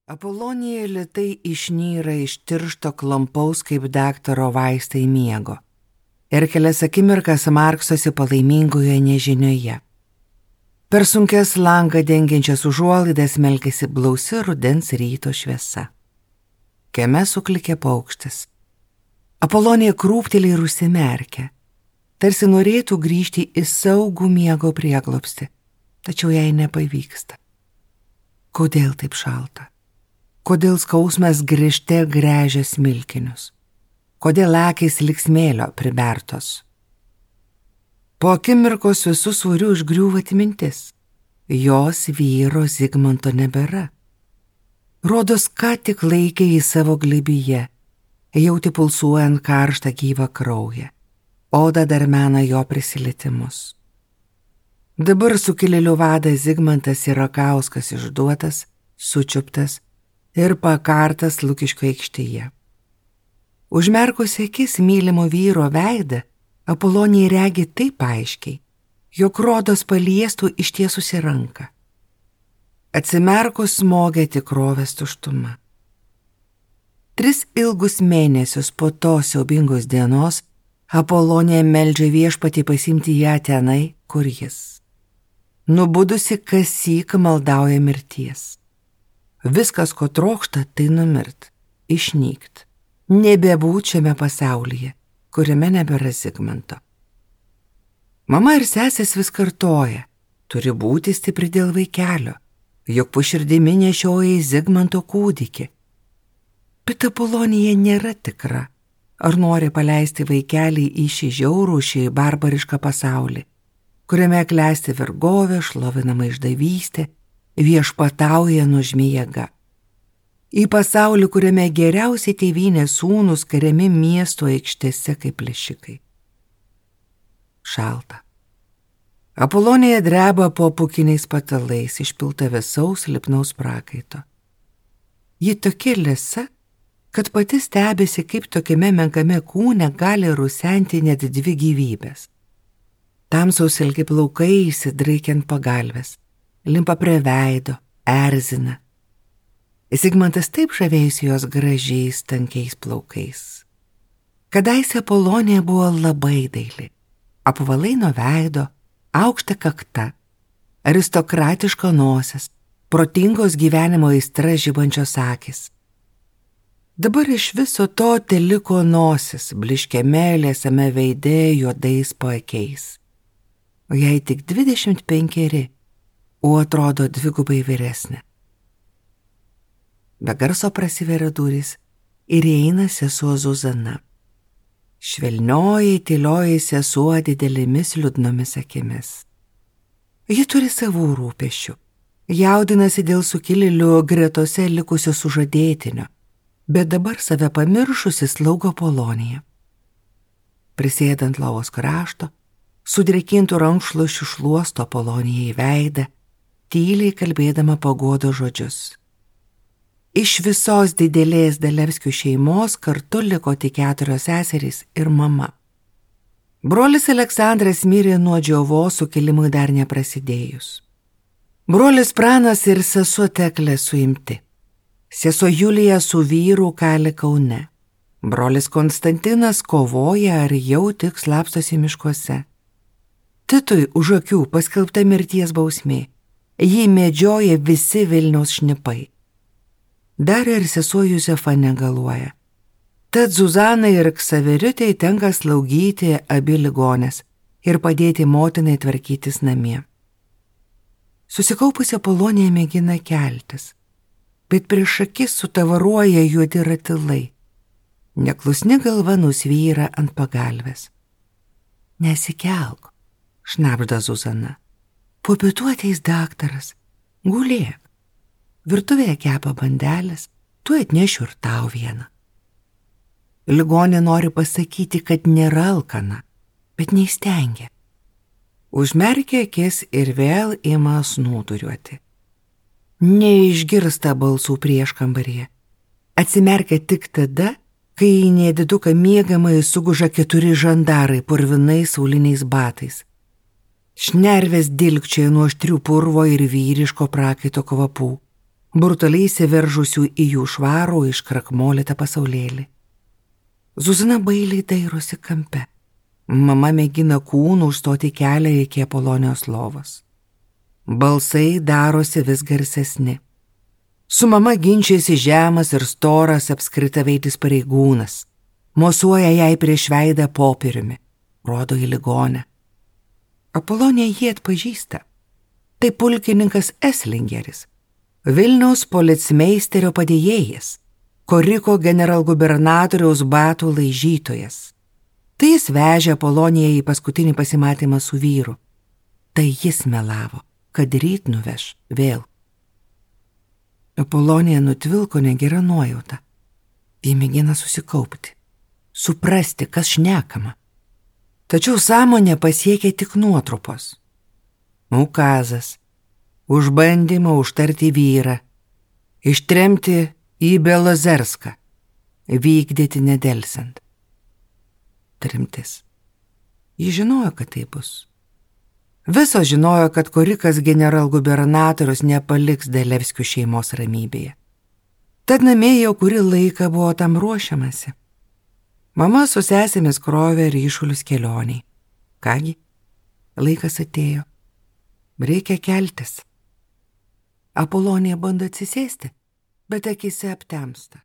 Apolonija lėtai išnyra iš tiršto klampaus kaip daktaro vaistai miego ir kelias akimirkas marksosi palaimingoje nežinioje. Per sunkes langą dengiančias užuolaidas melkėsi blausi rudens ryto šviesa. Kieme suklikė paukštis. Apolonija krūptelė ir užsimerkė, tarsi norėtų grįžti į saugų miego prieglobstį, tačiau jai nepavyksta. Kodėl taip šalta? Kodėl skausmas grįžte gręžia smilkinius? Kodėl akys lyg smėlio pribertos? Po akimirkos visų svorių užgriūva atmintis. Jos vyro Zigmanto nebėra. Rodos, ką tik laikė į savo glėbyje, jauti pulsuojant karštą gyvą kraują. Oda dar mena jo prisilietimus. Dabar sukilėlių vadas Zigmantas Sirakauskas išduotas, sučiuptas ir pakartas Lukiškių aikštėje. Užmerkusi akis mylimo vyro veidą, Apolonija regi taip aiškiai, jog rodos paliestų ištiesusi ranką. Atsimerkus smogė tikrovės tuštuma. 3 ilgus mėnesius po tos siaubingos dienos Apolonija meldžia viešpatį pasimti ją tenai, kur jis. Nubudusi kasyk maldauja mirties. Viskas, ko trokšta, tai numirt, išnykt, nebebūt šiame pasaulyje, kuriame nebėra Zigmanto. Mama ir sesės vis kartoja, turi būti stipri dėl vaikelio, juk po širdimi nešioja Zigmanto kūdikį. Bet Apolonija nėra tikra, ar nori paleisti vaikelį į šį žiaurų, šį barbarišką pasaulį, kuriame klesti vergovė, šlovinama išdavystė, viešpatauja nuožmi jėga. Į pasaulį, kuriame geriausiai tėvynės sūnus kariami miesto aikštėse kaip plėšikai. Šalta. Apolonija dreba po pūkiniais patalais, išpilta vėsaus lipnaus prakaito. Ji tokia liesa, kad pati stebisi, kaip tokiame menkame kūne gali rusenti net 2 gyvybės. Tamsaus ilgi plaukai įsidraikiant pagalvės, limpa prie veido, erzina. Zigmantas taip žavėjusi jos gražiais, tankiais plaukais. Kadaise Apolonija buvo labai daili, apvalai nuo veido, aukšta kakta, aristokratiška nosis, protingos gyvenimo aistra žibančios akys. Dabar iš viso to teliko nosis, bliškiame liesame veide juodais paakiais. O jai tik 25, o atrodo 2 vyresnė. Be garso prasiveria durys ir įeina sesuo Zuzana. Švelnioji, tylioji sesuo didelėmis liūdnomis akimis. Ji turi savų rūpesčių, jaudinasi dėl sukilėlių gretose likusio sužadėtinio, bet dabar save pamiršusi slaugo Apoloniją. Prisėdant lovos krašto, sudrėkintų rankšluosčių šluosto Apolonijai į veidą, tyliai kalbėdama paguodo žodžius. Iš visos didelės Dalevskių šeimos kartu liko tik 4 seserys ir mama. Brolis Aleksandras mirė nuo džiovos sukilimui dar neprasidėjus. Brolis Pranas ir sesuo Teklė suimti. Sesuo Julija su vyru kali Kaune. Brolis Konstantinas kovoja ar jau tik slapstosi miškuose. Titui už akių paskelbta mirties bausmė. Jį medžioja visi Vilniaus šnipai. Dar ir sesuo Juzefa negaluoja. Tad Zuzanai ir Ksaveriutei tenka slaugyti abi ligonės ir padėti motinai tvarkytis namie. Susikaupusi Apolonija mėgina keltis, bet prieš akis sutavaruoja juodi ratilai. Neklusni galva nusvyra ant pagalvės. Nesikelk, šnabžda Zuzana. Po pietų ateis daktaras, gulėk. Virtuvėje kepa bandelės, tu atnešiu ir tau vieną. Ligonė nori pasakyti, kad nėra alkana, bet neįstengia. Užmerkia akis ir vėl ima snūduriuoti. Neišgirsta balsų prieškambaryje. Atsimerkia tik tada, kai į nediduką miegamai suguža 4 žandarai purvinais sauliniais batais. Šnervės dilgčioja nuo aštrių purvo ir vyriško prakaito kvapų. brutaliai įsiveržusių į jų švarų iškrakmolytą pasaulėlį. Zuzana bailiai dairosi kampe. Mama mėgina kūnų užstoti kelią iki Apolonijos lovos. Balsai darosi vis garsesni. Su mama ginčiasi žemas ir storas apskritaveitis pareigūnas. Mosuoja jai prieš veidą popieriumi. Rodo į ligonę. Apolonija jį atpažįsta. Tai pulkininkas Eslingeris, Vilniaus policmeisterio padėjėjas, Koriko generalgubernatoriaus batų laižytojas. Tai jis vežė Apoloniją į paskutinį pasimatymą su vyru. Tai jis melavo, kad ryt nuveš vėl. Apolonija nutvilko negera nuojauta. Ji mėgina susikaupti, suprasti, kas šnekama. Tačiau sąmonė pasiekė tik nuotrupos. Ukazas, už bandymą užtarti vyrą, ištremti į Belozerską, vykdyti nedelsiant. Tremtis. Ji žinojo, kad tai bus. Visos žinojo, kad Korikas generalgubernatorius nepaliks Dalevskių šeimos ramybėje. Tad namie jau kurį laiką buvo tam ruošiamasi. Mama su sesėmis krovė ryšulius kelioniai. Kągi, laikas atėjo. Reikia keltis. Apolonija bando atsisėsti, bet akyse aptemsta.